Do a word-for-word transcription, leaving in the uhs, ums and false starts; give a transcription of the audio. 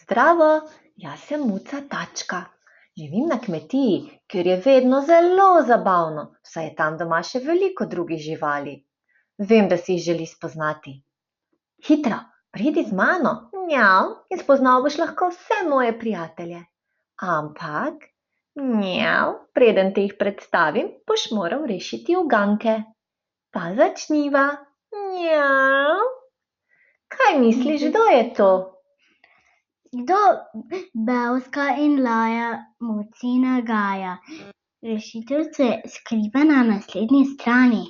Zdravo, jaz sem Muca Tačka. Živim na kmetiji, kjer je vedno zelo zabavno, saj je tam doma še veliko drugih živali. Vem, da si jih želiš spoznati. Hitro, pridi z mano, mjav, in spoznal boš lahko vse moje prijatelje. Ampak, mjav, preden te jih predstavim, boš moral rešiti uganke. Pa začniva, mjav. Kaj misliš, kdo je to? Kdo bevska in laja Mucina Gaja? Rešitev se skriva na naslednji strani.